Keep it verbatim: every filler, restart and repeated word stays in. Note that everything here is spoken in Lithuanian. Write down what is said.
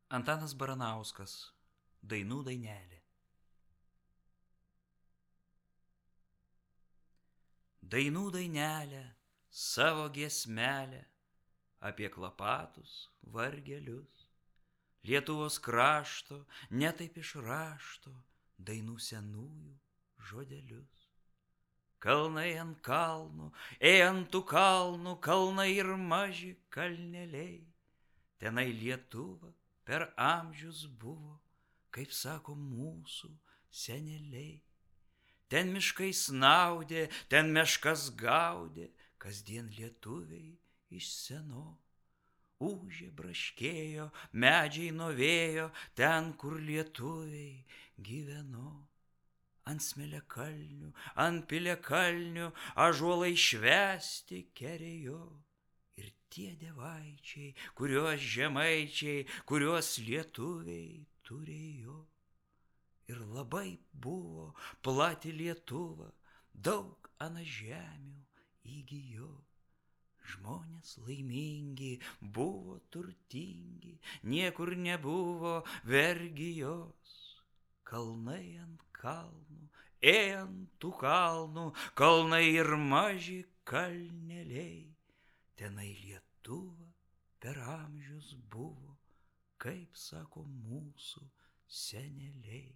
Antanas Baranauskas, Dainų dainelė. Dainų dainelę, savo giesmelę, apie klapatus vargelius, Lietuvos krašto, netaip iš rašto, dainų senųjų žodelius. Kalnai ant kalnų, ėjant tų kalnų, kalnai ir maži kalneliai, tenai Lietuva per amžius buvo, kaip sako mūsų seneliai. Ten miškai snaudė, ten meškas gaudė, kasdien lietuviai iš seno. Ūžė, braškėjo, medžiai nuo vėjo, ten, kur lietuviai gyveno. Ant smėliakalnių, ant piliakalnių, ąžuolai švęsti kerėjo. Ir tie dievaičiai, kuriuos žemaičiai, kuriuos lietuviai turėjo. Ir labai buvo plati Lietuva, daug ana žemių įgijo. Žmonės laimingi, buvo turtingi, niekur nebuvo vergijos. Kalnai ant kalnų, ėjant tų kalnų, kalnai ir maži kalneliai. Tenai Lietuva per amžius buvo, kaip sako mūsų seneliai.